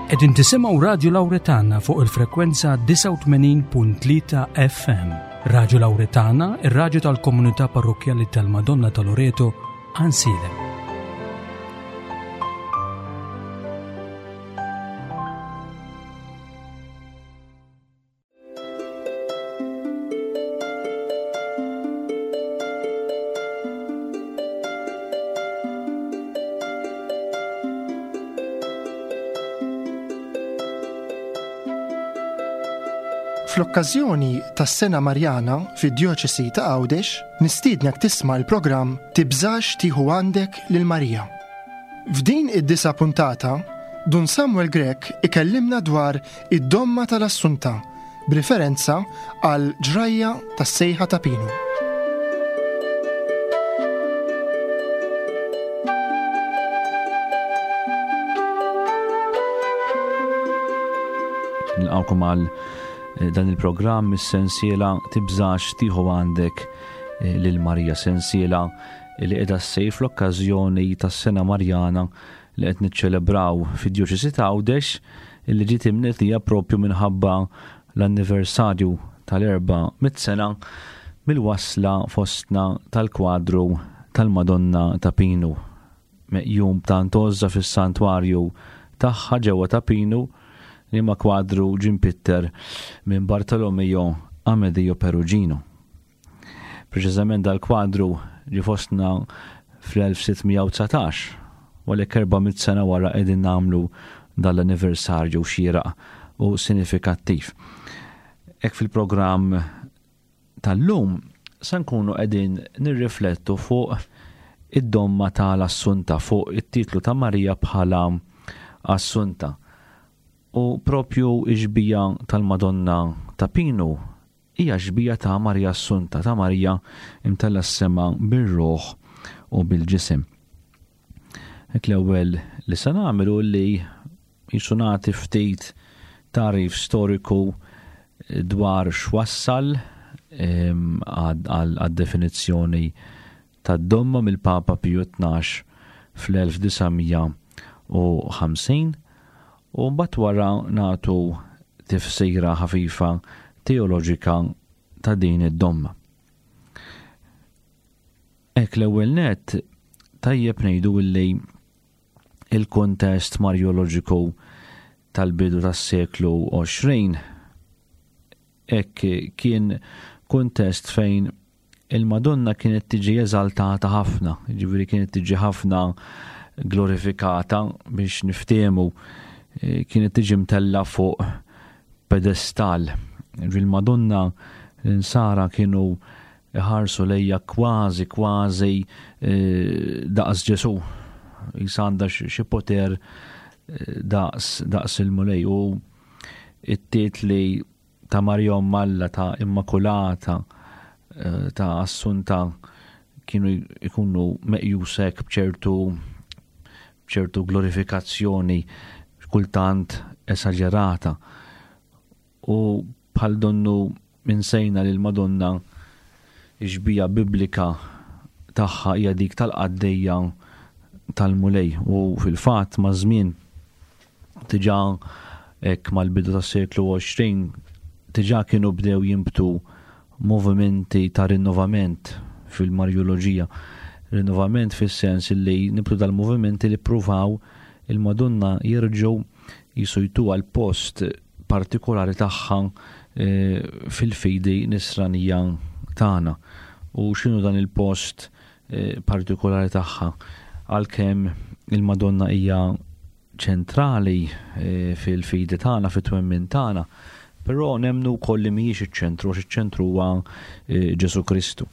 Qegħdin tisimgħu Radju Lawretana fuq il-frekwenza 89.3 FM. Radju Lawretana, ir-radju tal-komunità parrokkjali tal-Madonna ta' Loreto, Ansilem. Fl-okkażjoni tas-Sena Marjana fid-Djoċesi ta' Għawdex, nistiednek tisma' l-programm Tibżax tieħu għandek lil Marija. F'din id-disa' puntata, Dun Samuel Grech ikellimna dwar Id-domma tal-Assunta, b'riferenza għal ġrajja tas-sejħa ta' Pinu. Nilqawkom għal eh, dan il-programm is-sensiela tibżax tieħu għandek eh, lil Marija sensiela li qiegħda ssir fl-okkażjoni tas-sena Marjana li qed niċċelebraw fid-Djoċesi ta' Għawdex illi ġiet imnedija propju minħabba l-anniversarju tal-400 sena mill-wasla fostna tal-kwadru tal-Madonna ta' Pinu, meqjum b'tant għożża fis-santwarju tagħha ġewwa Ta' Pinu, liema kwadru ġie mpitter minn Bartolomeo Amedeo Perugino. Preċiżament dal-kwadru ġie fostna fl-1619, u għalhekk 400 sena wara qegħdin nagħmlu dal-anniversarju xieraq u sinifikattiv. Hekk fil-programm tal-lum se nkunu qegħdin nirriflettu fuq id-domma tal-Assunta, fuq it-titlu ta' Marija bħala Assunta. U propju ix-xbija tal-Madonna ta' Pinu Hija x-xbieha ta' Marija Assunta, ta' Marija mtellgħa s-sema bir-ruħ u bil-ġisem. Hekk l-ewwel li se nagħmel hu li jisu nagħti ftit tagħrif storiku dwar x'wassal għad-definizzjoni tad-domma mill-Papa Piju 12 fl-1950 u mbagħad wara nagħtu tifsira ħafifa teoloġika ta' din id-domma. Hekk l-ewwel nett tajjeb ngħidu illi il-kuntest marjoloġiku tal-bidu tas-seklu 20 hekk kien kuntest fejn il-Madonna kienet tiġi eżaltata ħafna, jiġifieri kienet tiġi ħafna glorifikata biex niftehmu eh, kienet tiġi mtella fuq pedestal. Il-Madonna l-insara kienu iħarsu lejja kważi kważi eh, daqs Ġesu. Jisa għandha xi poter eh, daqs daqs il-Mulej u it-titli ta' Marija Omm Alla, ta' Immakulata, eh, ta' Assunta kienu jkunu meqjusek b'ċertu b'ċertu glorifikazzjoni kultant esaġerata. U bħal donnu minsejna li l-Madonna xbija biblika tagħha hija dik tal-qaddejja tal-Mulej u fil-fatt ma' żmien Diġà hekk mal-bidu tas-seklu 20 diġà kienu bdew jinbtu movimenti ta' rinnovament fil-Marjoloġija. Rinnovament fis-sens li nibtu dal-movimenti li ppruvaw il-Madonna jerġgħu jisu jtuha l-post partikolari tagħha eh, fil-fidi nisranija tagħna. U x'inhu dan il-post eh, partikolari tagħha? Għalkemm il-Madonna hija ċentrali eh, fil-fidi tagħna, fit-twemmin tagħna, però nemmnu wkoll li mhijiex iċ-ċentru, għax iċ-ċentru huwa eh, Ġesu Kristu.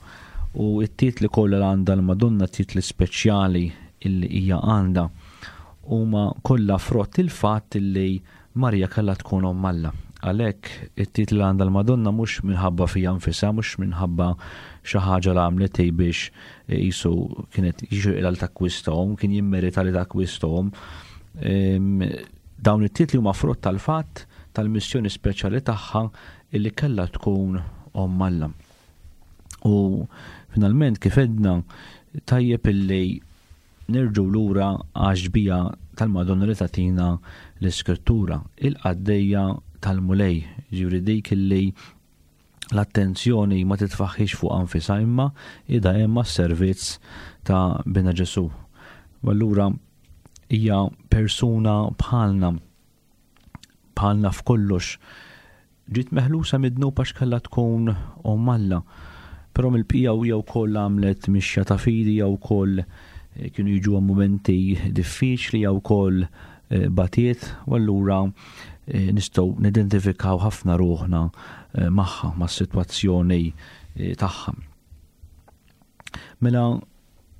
U t-titli kollha li għandha l-Madonna, titli speċjali illi hija għandha, huma kollha frott il-fatt illi Marija kellha tkun omm Alla. Għalhekk it-titli li għandha l-Madonna mhux minħabba fija nfisha, mhux minħabba xi ħaġa li għamlet hi biex qisu kienet jixirqilha li takkwistahom, kien jimmerita li takkwistahom. Ehm, dawn it-titli huma frott tal-fatt tal-missjoni speċjali tagħha illi kellha tkun omm Alla. U finalment kif edna tajjeb illi Nerġgħu lura għax-xbieha tal-Madonna li tagħtina l-Iskrittura, il-qaddejja tal-Mulej, ġifieri dik illi l-attenzjoni ma titfaħħix fuq anfisha imma ida hemm għas-servizz ta' Bina Ġesu. U allura hija persuna bħalna bħalna f'kollox. Ġiet meħlusa mid-dnub għax kellha tkun omm Alla. Però mill-bqija hija wkoll għamlet mixja ta' fidi jew wkoll eh, kienu jiġu mumenti diffiċli jew wkoll eh, batiet u allura eh, nistgħu nidentifikaw ħafna ruħna magħha mas-sitwazzjoni tagħha. Mela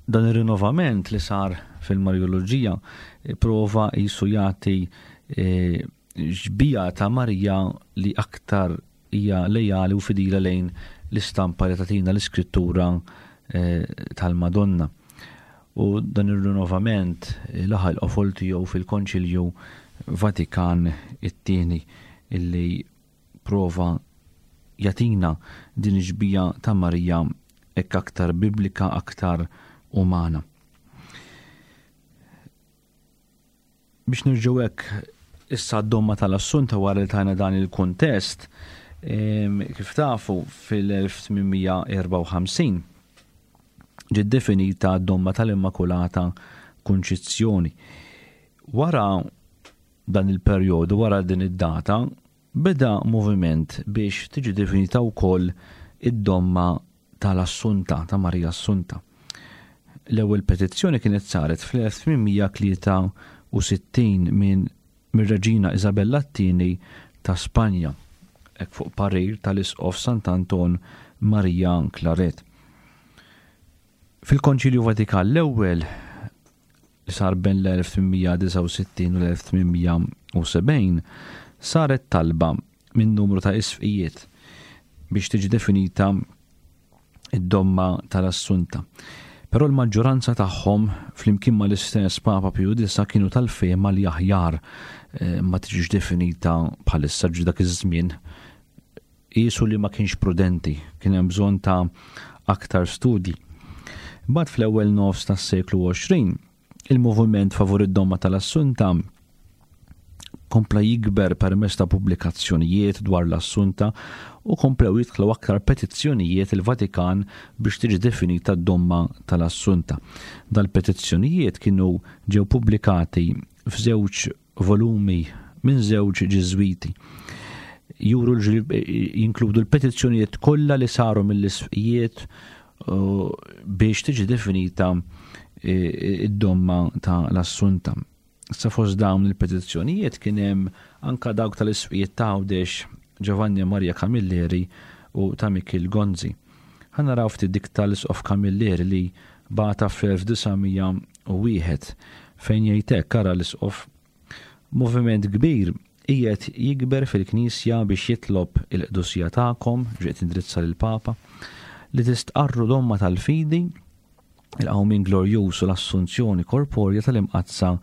dan ir-rinnovament li sar fil-Marjoloġija prova jisu jagħti xbieha ta' Marija li aktar hija lejali u fidila lejn l-istampa li tagħtina l-Iskrittura eh, tal-Madonna. U dan ir-rinnovament eh, laħaq il-qofol tiegħu fil-Konċilju Vatikan it-tieni illi prova jagħtina din ix-xbieha ta' Marija hekk aktar biblika, aktar umana. Biex nerġgħu hekk issa d-domma tal-Assunta wara li tajna dan il-kuntest, kif tafu fil-1854 ġiet definita d-domma tal-Immakulata Kunċizzjoni. Wara dan il-perjodu, wara din id-data, beda moviment biex tiġi definita wkoll id-domma tal-Assunta, ta' Marija Assunta. L-ewwel petizzjoni kienet saret fl-1863 minn mir-Reġina Isabella t-Tieni ta' Spanja, hekk fuq parir tal-Isqof Sant'Anton Maria Claret. Fil-Konċilju Vatikan l-Ewwel li sar bejn l-1869 u l-1870 saret talba minn numru ta' isqfijiet biex tiġi definita id-domma tal-Assunta. Però l-maġġoranza tagħhom flimkien mal-istess Papa Piju Disa kienu tal-fehma li aħjar eh, ma tiġix definita bħalissa ġi dak iż-żmien qisu li ma kienx prudenti, kien hemm bżonn ta' aktar studji. Bad fl-ewwel nofs tas-seklu 20, Il-moviment favur id-domma tal-Assunta kompla jikber permezz ta' pubblikazzjonijiet dwar l-Assunta u komplew jidħlu aktar petizzjonijiet il-Vatikan biex tiġi definita d-domma tal-Assunta. Dal-petizzjonijiet kienu ġew pubblikati f'żewġ volumi minn żewġ Ġiżwiti. Juru jinkludu l-petizzjonijiet kollha li saru mill-isqfijiet biex tiġi definita e, id-domma ta' l-Assunta. Sa fost dawn il-petizzjonijiet kien hemm anka dawk tal-isqfijiet ta' Għawdex Giovanni Maria Camilleri u ta' Mikil Gonzi. Ħa naraw ftit dik tal-Isqof Camilleri li bagħatha fl-1901 fejn jgħid hekk, ara l-Isqof, Moviment kbir qiegħed jikber fil-Knisja biex jitlob il-qdusija tagħkom, ġiet tindrizza lill-Papa, li tistqarru domma tal-fidi, il-qawmien glorjuż u l-assunzjoni korporja tal-Imqaddsa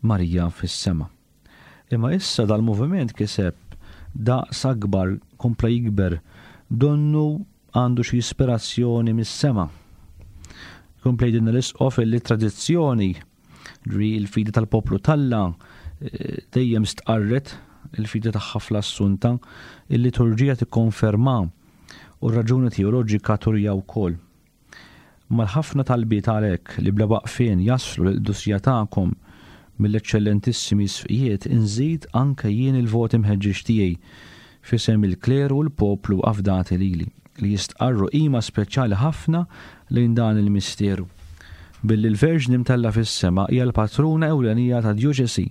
Marija fis-sema. Imma issa dal-moviment kiseb daqs akbar, kompla jikber, donnu għandu xi ispirazzjoni mis-sema. Kompla jgħidilna l-Isqof illi tradizzjoni, ġri l-fidi tal-poplu t'Alla, eh, dejjem stqarret il-fidi tagħha fl-Assunta, il-liturġija tikkonferma u r-raġuni teoloġika turija wkoll. Mal-ħafna talbiet għalhekk li bla waqfien jaslu lill-qdusija tagħkom mill-Eċċellentissimi Isqfijiet inżid anke jien il-vot imħeġġeġ tiegħi f'isem il-kleru u l-poplu afdati lili, li jistqarru qima speċjali ħafna lejn dan il-misteru. Billi l-Verġni mtellgħa fis-sema hija l-patruna ewlenija tad-djoċesi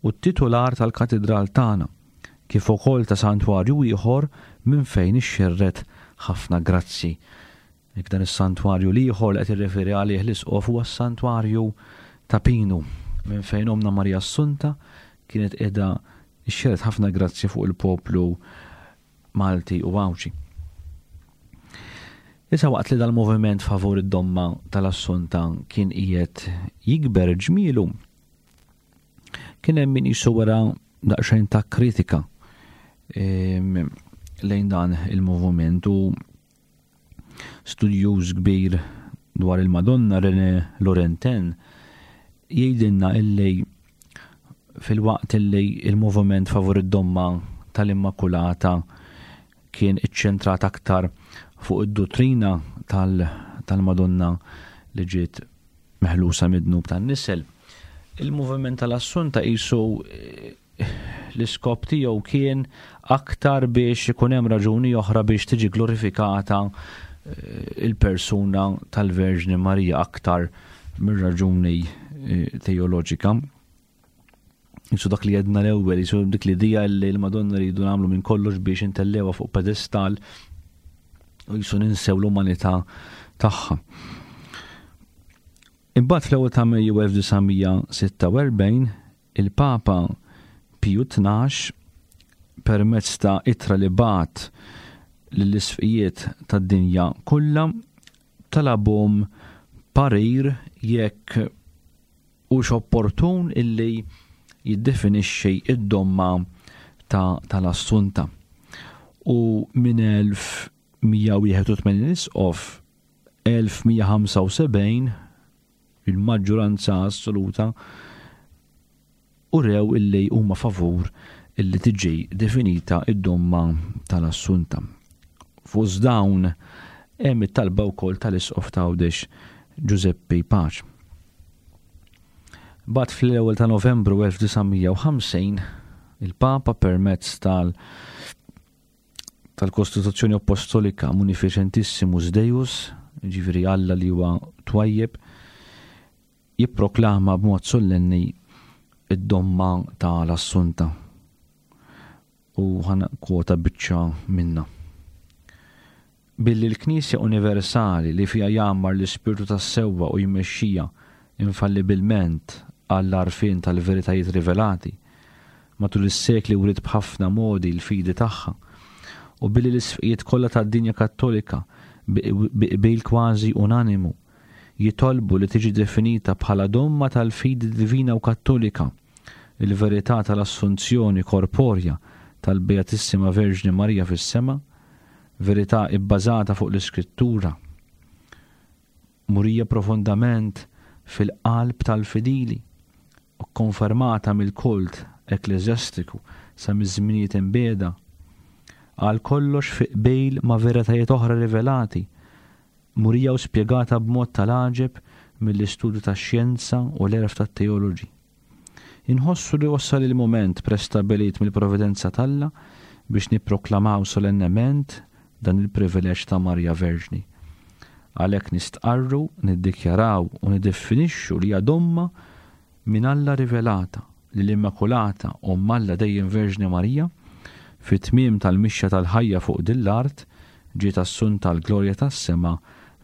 u t-titular tal-katidral tagħna, kif ukoll ta' santwarju ieħor minn fejn ixxerred ħafna grazzji. Jekk dan is-santwarju l-ieħor li qed jirreferi għalih l-Isqof huwa s-santwarju ta' Pinu, minn fejn Ommna Marija Assunta kienet qiegħda xxerred ħafna grazzji fuq il-poplu Malti u Għawdxi. Issa waqt li dal-moviment favur id-domma tal-Assunta kien qiegħed jikber ġmielu, kien hemm min qisu wera daqsxejn ta' kritika ehm, lejn dan il-moviment u Studjuż kbir dwar il-Madonna René Laurentin jgħidilna illi Filwaqt li l-moviment favur id-domma tal-Immakulata kien iċċentrat aktar fuq id-duttrina tal-Madonna li ġiet meħlusa mid-dnub tan-nisel, il-moviment tal-Assunta qisu eh, l-iskop tiegħu kien aktar biex ikun hemm raġuni oħra biex tiġi glorifikata eh, il-persuna tal-Verġni Marija aktar mir-raġuni eh, teoloġika. Jisu dak li jedna l-ewwel, jisu dik l-idea li l-Madonna rridu nagħmlu minn kollox biex intellewa fuq pedestal u jisu ninsew l-umanità tagħha. Imbagħad fl-ewwel ta' Mejju 1946 il-Papa Piju 12 permezz ta' ittra li bagħat lill-isqfijiet tad-dinja kollha talabhom parir jekk hux opportun illi jiddefinixxi id-domma ta' tal-Assunta. U minn 1181 isqof 1175 il-maġġuranza assoluta urew illi huma favur illi tiġi definita id-domma tal-Assunta. Fost dawn hemm it-talba wkoll tal-Isqof ta' Għawdex Ġużeppi Pace. Bat fl-ewwel ta' Novembru 1950 il-Papa permezz tal tal-Kostituzzjoni Apostolika Munificentissimus Deus, ġifieri Alla li huwa twajjeb, jipproklama b'mod sollenni id-domma ta' l-Assunta. U ħa kwota biċċa minnha. Billi l-Knisja universali li fiha jgħammar l-Ispirtu tas-sewwa u jmexxija infallibilment għall-għarfien tal-veritajiet rivelati, matul is-sekli wriet b'ħafna modi l-fidi tagħha, u billi l-isqfijiet kollha tad-dinja Kattolika bi qbil kważi unanimu jitolbu li tiġi definita bħala domma tal-fidi divina u Kattolika il-verità tal-Assunzjoni korporja tal-Beatissima Verġni Marija fis-sema, verità ibbażata fuq l-Iskrittura, murija profondament fil-qalb tal-fidili u kkonfermata mill-kult ekkleżjastiku sa miż-żminijiet imbiegħda, għal kollox fi qbil ma' veritajiet oħra rivelati, murija u spjegata b'mod tal-għaġeb mill-istudju tax-xjenza u l-għerf tat-teoloġi. Inħossu li wasal il-mument prestabbilit mill-Providenza t'Alla biex nipproklamaw solennement dan il-privileġġ ta' Marija Verġni. Għalhekk nistqarru, niddikjaraw u niddefinixxu li hija domma minn Alla rivelata li l-Immakulata Omm Alla Dejjem Verġni Marija, fit-tmiem tal-mixja tal-ħajja fuq din l-art, ġiet assunta għall-glorja tas-sema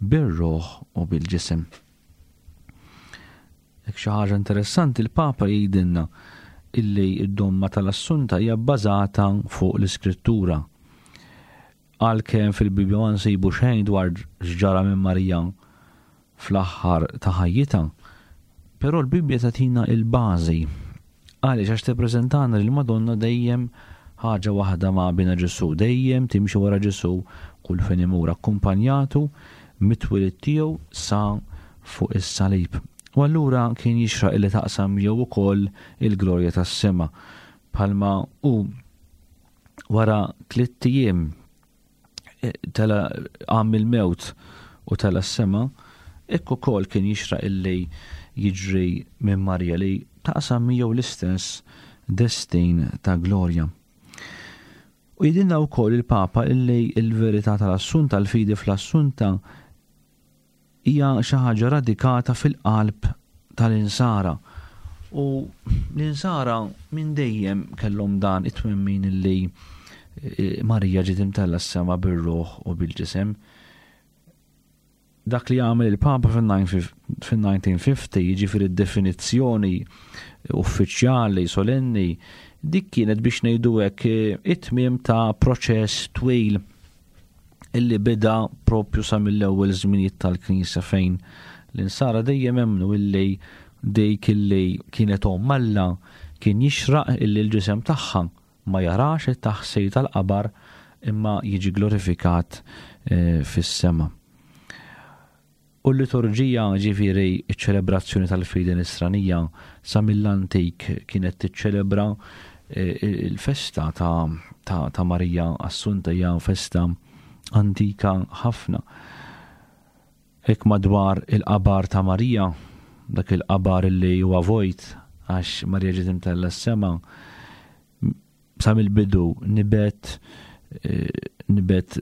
bir-ruħ u bil-ġisem. Hekk xi ħaġa interessanti l-Papa jgħidilna illi d-domma tal-Assunta hija bbażata fuq l-Iskrittura. Għalkemm fil-Bibbja ma nsibu xejn dwar x'ġara minn Marija fl-aħħar ta' ħajjitha, però l-Bibbja tagħtina l-bażi. Għaliex? Għax tippreżentana lil Madonna dejjem ħaġa waħda ma' Binha Ġesù, dejjem timxi wara Ġesù kull fejn imur, akkumpanjatu mit-twelid tiegħu sa fuq is-salib. U allura kien jixraq illi taqsam miegħu wkoll il-glorja tas-sema, bħalma hu wara tlitt ijiem eh, tela qam mill-mewt u tela s-sema, hekk ukoll kien jixraq illi jiġri minn Marija li taqsam miegħu l-istess destin ta' glorja. U jidinna wkoll il-Papa illi l-verità tal-assunta, l-fidi fl-assunta, hija xi ħaġa radikata fil-qalb tal-insara. U l-insara minn dejjem kellhom dan it-twemmin illi eh, Marija ġiet imtella s-sema bir-ruħ u bil-ġisem. Dak li għamel il-Papa fil-1950, jiġifieri d-definizzjoni uffiċjali solenni, dik kienet biex ngħidu hekk eh, it-tmiem ta' proċess twil illi beda propju sa mill-ewwel żminijiet tal-Knisja fejn l-insara dejjem emmnu illi dik illi kienet omm Alla kien jixraq illi l-ġisem tagħha ma jarax it-taħsir tal-qabar imma jiġi glorifikat eh, fis-sema. U l-liturġija, ġifieri ċ-ċelebrazzjoni tal-fidi nisranija, sa mill-antik kienet tiċċelebra eh, il-festa ta', ta, ta Marija Assunta hija festa antika ħafna. Hekk madwar il-qabar ta' Marija, dak il-qabar li huwa vojt għax Marija ġiet imtella s-sema, sa mill-bidu nibet eh, nibet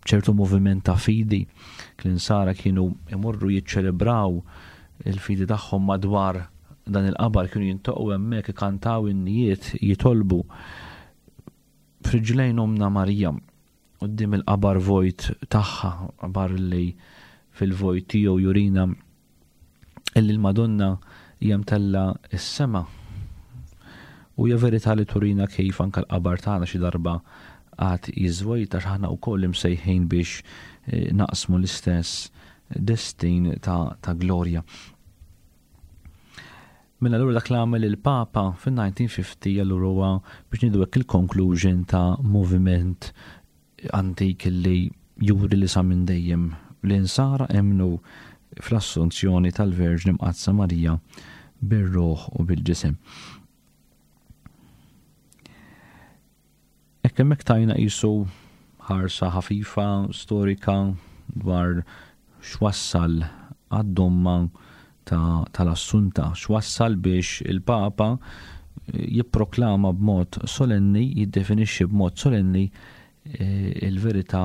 ċertu moviment ta' fidi. L-insara kienu imorru jiċċelebraw il-fidi tagħhom madwar dan il-qabar kienu jintoqgħu hemmhekk ikantaw in-nijiet jitolbu f'riġlejn omna Marija quddiem il-qabar vojt tagħha, qabar li fil-vojt tiegħu jurina illi l-Madonna hija mtella s-sema. U hija verità li turina kif anke l-qabar tagħna xi darba għad jiżvojta x'aħna wkoll imsejħin biex eh, naqsmu l-istess destin ta', ta glorja. Mela allura dak li għamel il-Papa fin-1950 allura huwa biex ngħidu hekk il-conclusion ta' moviment antik li juri li sa minn dejjem l-insara emmnu fl-assunzjoni tal-Verġni Mqaddsa Marija bir-ruħ u bil-ġisem. Hekk hemmhekk tajna qisu ħarsa ħafifa storika dwar x'wassal għad-domma tal-Assunta, x'wassal biex il-Papa jipproklama b'mod solenni, jiddefinixxi b'mod solenni eh, il-verità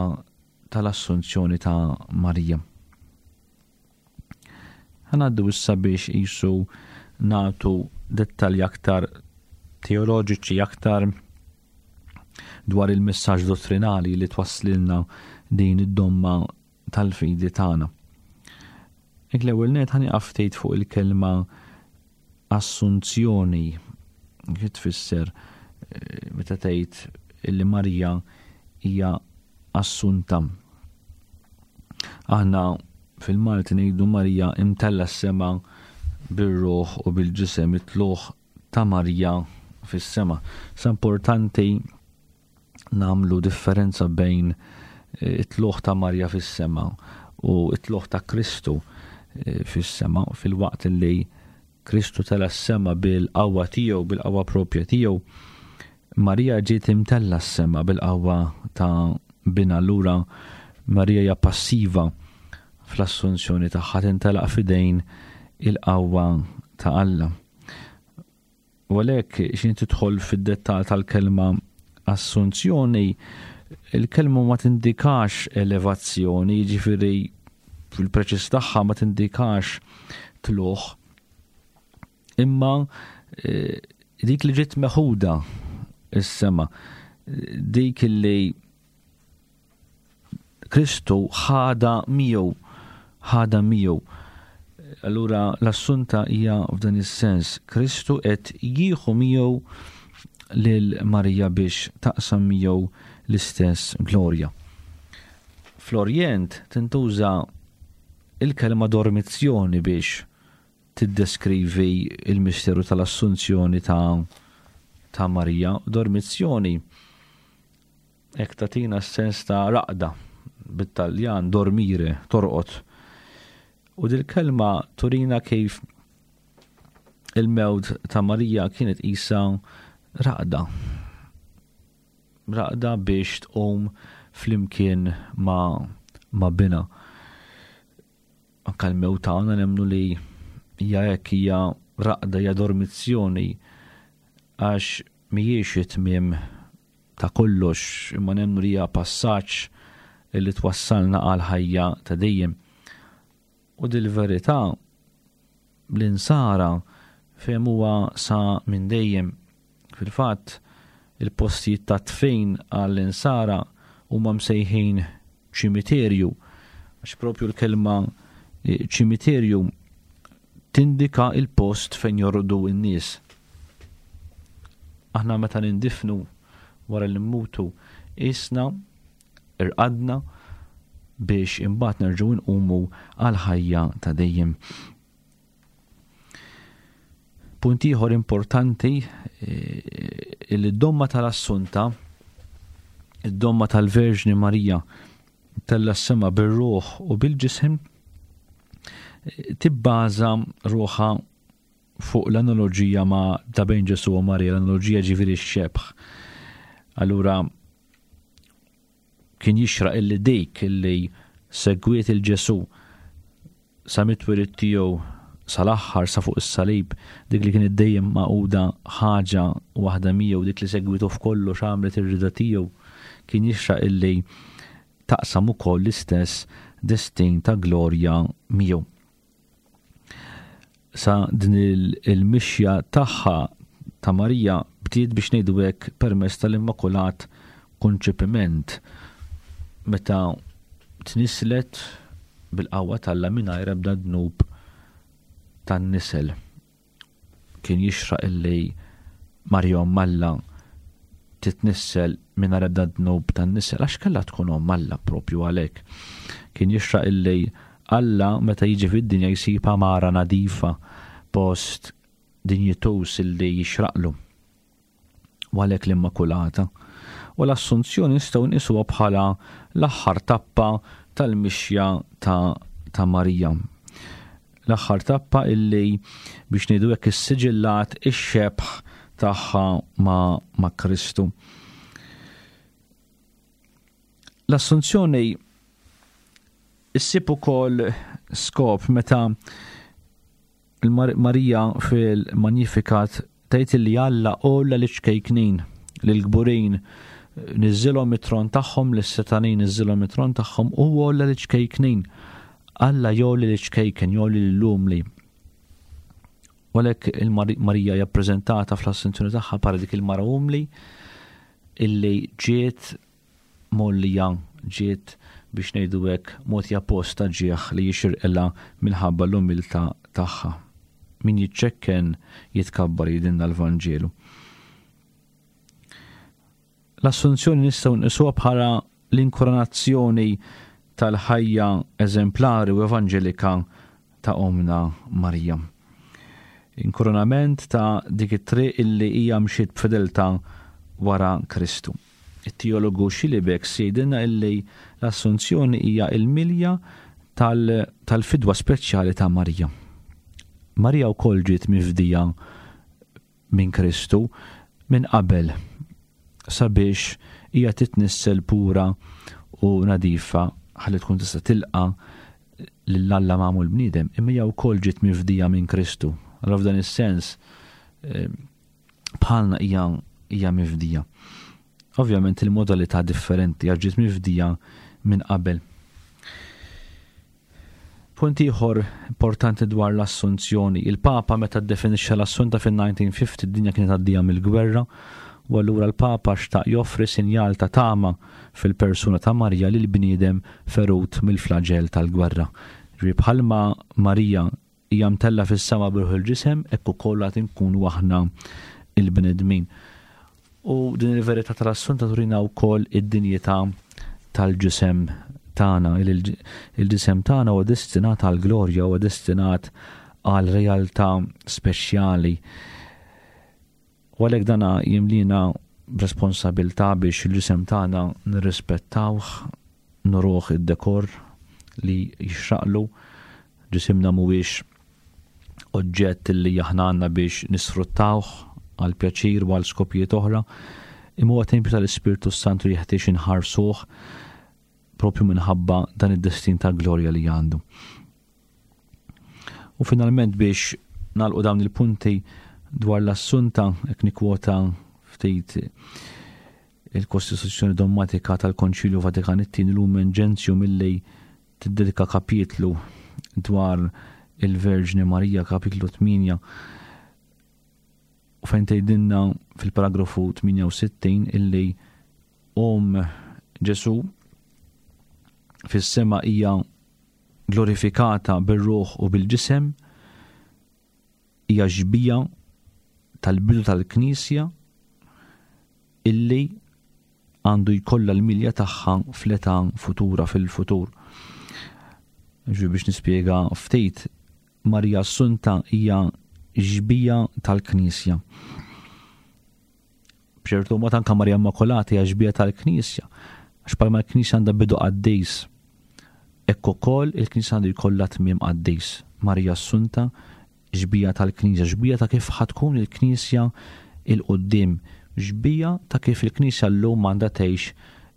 tal-Assunzjoni ta' Marija. Ħanaddu issa biex qisu nagħtu dettalji aktar teoloġiċi aktar dwar il-messaġġ dottrinali li twasslilna din id-domma tal-fidi tagħna. Ek l-ewwel net ħaniqaf ftit fuq il-kelma assunzjoni kif tfisser eh, meta tgħid li Marija hija assunta. Aħna fil-Malti ngħidu Marija imtella s-sema bir-ruħ u bil-ġisem it-tluħ ta' Marija fis-sema. Sa importanti nagħmlu differenza bejn eh, it-tluħ ta' Marja fis-sema u it-tluħ ta' Kristu eh, fis-sema fil-waqt li Kristu tela s-sema bil-qawwa tiegħu, bil-qawwa propja tiegħu, Marija ġiet imtella s-sema bil-qawwa ta' binha allura Marija hija passiva fl-assunzjoni tagħha tintelaq f'idejn il-qawwa ta' Alla. U għalhekk x'in tidħol fid-dettall tal-kelma assunzjoni, il-kelma ma tindikax elevazzjoni, jiġifieri fil-preċiż tagħha ma tindikax tluħ. Imma eh, dik li ġiet meħuda is-sema, dik li Kristu ħada miegħu, ħada miegħu. Allura l-assunta hija f'dan is-sens, Kristu qed jieħu miegħu lil Marija biex taqsam miegħu l-istess glorja. Fl-Orjent tintuża il-kelma dormizzjoni biex tiddeskrivi il-misteru tal-assunzjoni ta' ta' Marija. Dormizzjoni Hekk tagħtina s-sens ta' raqda, bit-Taljan dormire, torqod. U dil-kelma turina kif il-mewt ta' Marija kienet qisha raqda. Raqda biex tqum flimkien ma' ma' binha. Anka l-mewt tagħna nemmnu li hija hekk hija raqda hija dormizzjoni għax mhijiex it-tmiem ta' kollox imma nemmnu li hija passaġġ li twassalna għal ħajja ta' dejjem. U dil-verità l-insara fehmuha sa minn dejjem. Fil-fatt, il-postijiet ta' dfin għall-insara huma msejħin ċimiterju, għax propju l-kelma eh, ċimiterju tindika il-post fejn jorqdu n-nies. Aħna meta nindifnu wara li mmutu isna irqadna biex imbagħad nerġgħu nqumu għal ħajja ta' dejjem. Punt ieħor importanti eh, li d-domma tal-Assunta, id-domma tal-Verġni Marija tella s-sema bir-ruħ u bil-ġisem. tibbaża ruħha fuq l-analoġija ma' ta' bejn Ġesù u Marija, l-analoġija ġifieri x-xebh. Allura kien jixraq illi dik illi segwiet il-Ġesù sa mit-twelid tiegħu sal-aħħar sa fuq is-salib, dik li kienet dejjem magħquda ħaġa waħda miegħu, dik li segwitu f'kollox għamlet ir-rieda tiegħu, kien jixraq illi taqsam ukoll l-istess destin ta' glorja miegħu. Sa din il-mixja tagħha ta' Marija bdiet biex ngħidu hekk permezz tal-Immakulat Konċepiment meta tnisslet bil-qawwa t'Alla mingħajr ebda dnub tan-nisel. Kien jixraq illi Marija Omm Alla titnissel mingħajr ebda dnub tan-nisel għax kellha tkun Omm Alla propju għalhekk. Kien jixraq illi Alla meta jiġi fid-dinja jsib għamara nadifa, post dinjituż illi jixraqlu. U għalhekk l-Immakulata. U l-Assunzjoni nistgħu nqisuha bħala l-aħħar tappa tal-mixja ta', ta Marija. L-aħħar tappa illi biex ngħidu hekk issiġillat ix-xebh tagħha ma', ma Kristu. L-Assunzjoni issib ukoll skop meta Marija fil-Magnificat tgħid li Alla għolla liċ-ċkejknin, lill-kburin niżżilhom mit-tron tagħhom, lis-setanin niżżilhom mit-tron tagħhom u għolla liċ-ċkejknin. Alla jgħolli liċ-ċkejken, jgħolli lill-umli. U għalhekk il-Marija hija ppreżentata fl-assunzjoni tagħha bħala dik il-mara umli illi ġiet mgħollija ġiet biex ngħidu hekk mogħtija post ta' ġieħ li jixirqilha minħabba l-umiltà tagħha. Min jiċċekken jitkabbar jgħidilna l-Vanġelu. L-Assunzjoni nistgħu nqisuha bħala l-inkoronazzjoni tal-ħajja eżemplari u evanġelika ta' Ommna Marija. Inkoronament ta' dik it-triq illi hija mxiet b'fedeltà wara Kristu. It-teologu Schillebeeckx jgħidilna illi l-Assunzjoni hija l-milja tal-fidwa speċjali ta' Marija. Marija wkoll ġiet mifdija minn Kristu minn qabel sabiex hija titnissel pura u nadifa ħalli tkun tista' tilqa' lil Alla magħmul bniedem, imma hija wkoll ġiet mifdija minn Kristu. Allura f'dan is-sens eh, bħalna hija hija mifdija. Ovvjament il-modalità differenti għax ġiet mifdija minn qabel. Punt ieħor importanti dwar l-Assunzjoni. Il-Papa meta ddefinixxa l-Assunta fin-1950 id-dinja kienet għaddija mill-gwerra u allura l-Papa xtaq joffri sinjal ta' tama fil-persuna ta' Marija lill-bniedem ferut mill-flaġell tal-gwerra. Ġifieri bħalma Marija hija mtellgħa fis-sema b'ruħ il-ġisem, hekk ukoll għad inkunu aħna l-bnedmin. U din il-verità tal-Assunta turina wkoll id-dinjità tal-ġisem tagħna. Il-ġisem tagħna huwa destinat għal glorja, huwa destinat għal realtà speċjali. U għalhekk dana jimlina b'responsabilità biex il-ġisem tagħna nirrispettawh, nuruh id-dekor li jixraqlu. Ġisimna mhuwiex oġġett li aħna għandna biex nisfruttawh għal pjaċir u għal skopijiet oħra, imma huwa tempju tal-Ispirtu s-Santu jeħtieġ inħarsuh propju minħabba dan id-destin ta' glorja li għandu. U finalment biex nagħlqu dawn il-punti dwar l-assunta, hekk nikkwota ftit il-Kostituzzjoni Dogmatika tal-Konċilju Vatikan it-Tieni Lumen Gentium illi tiddedika kapitlu dwar il-Verġni Marija, kapitlu 8, u fejn tgħidilna fil-paragrafu 68 illi Omm Ġesù fis-sema hija glorifikata bir-ruħ u bil-ġisem, hija xbieha tal-bidu tal-Knisja illi għandu jkollha l-milja tagħha fl-età futura fil-futur. Ġi biex nispjega ftit, Marija Assunta hija xbieha tal-Knisja. B'ċertu mod anke Marija Immakulata hija xbieha tal-Knisja, għax bħalma l-Knisja għandha bidu qaddis, hekk ukoll il-Knisja għandu jkollha tmiem qaddis. Marija Assunta, xbieha tal-Knisja, xbieha ta' kif ħa tkun il-Knisja 'il quddiem, xbieha ta' kif il-Knisja llum għandha tgħix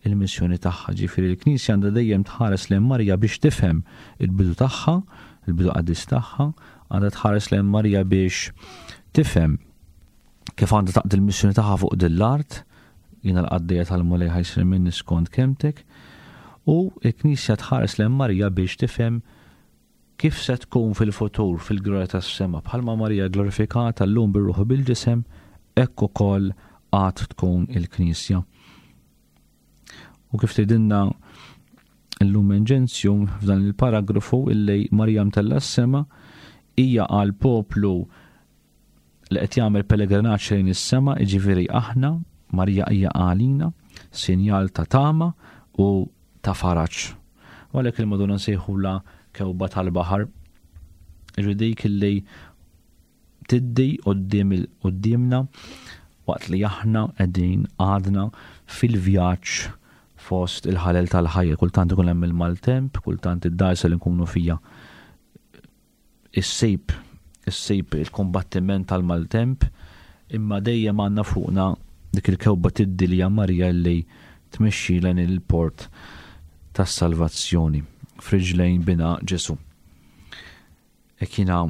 il-missjoni tagħha. Ġifieri l-Knisja għandha dejjem tħares lejn Marija biex tifhem il-bidu tagħha, il-bidu qaddis tagħha, għandha tħares lejn Marija biex tifhem kif għandha taqdi l-missjoni tagħha fuq din l-art, jiena l-qaddejja tal-Mulej ħa jsir minni skont kelmtek, u l-Knisja tħares lejn Marija biex tifhem kif se tkun fil-futur fil-glorja tas-sema, bħalma Marija glorifikata llum bir-ruħ u bil-ġisem, hekk ukoll għad tkun il-Knisja. U kif tgħidilna l-Lumen Gentium f'dan il-paragrafu illi Marija mtella s-sema hija għal poplu li qed jagħmel pellegrinaġġ lejn is-sema, jiġifieri aħna, Marija hija għalina, sinjal ta' tama u ta' faraġ. U għalhekk il-Madonna nsejħula kewba tal-baħar, ġifieri dik illi tiddi quddiem quddiemna waqt li aħna qegħdin għadna fil-vjaġġ fost il-ħalel tal-ħajja. Kultant ikun hemm il-maltemp, kultant id-dgħajsa li nkunu fija issib issib il-kumbattiment tal-maltemp, imma dejjem għandna fuqna dik il-kewba tiddi li hija Marija li tmexxi lejn il-port tas-salvazzjoni f'riġlejn bina Ġesu. Hekk jiena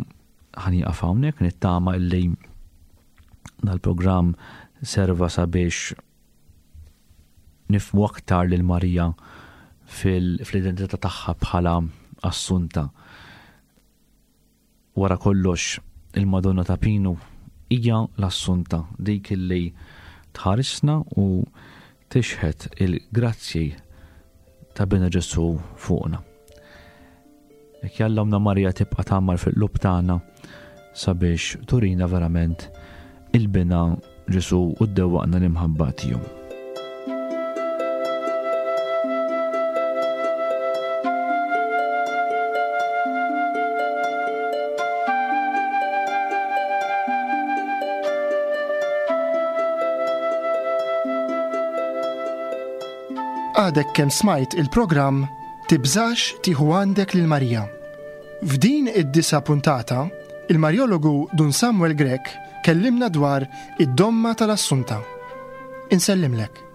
ħanieqaf hawnhekk nittama illi dal-programm serva sabiex nifhmu aktar lil Marija fil-identità tagħha bħala Assunta. Wara kollox, il-Madonna ta' Pinu hija l-Assunta, dik li tħarisna u tixħet il-grazzji ta' Bina Ġesù fuqna. Jekk jalla Ommna Marija tibqa' tgħammar fil-qlub tagħna sabiex turina verament il-Binha Ġesù u ddewwaqna l-imħabba tiegħu. Għadek kemm smajt il-programm Tibżax tieħu għandek lil Marija. F'din id-disa' puntata, il-Marjologu Dun Samuel Grech kellimna dwar id-domma tal-Assunta. Insellimlek.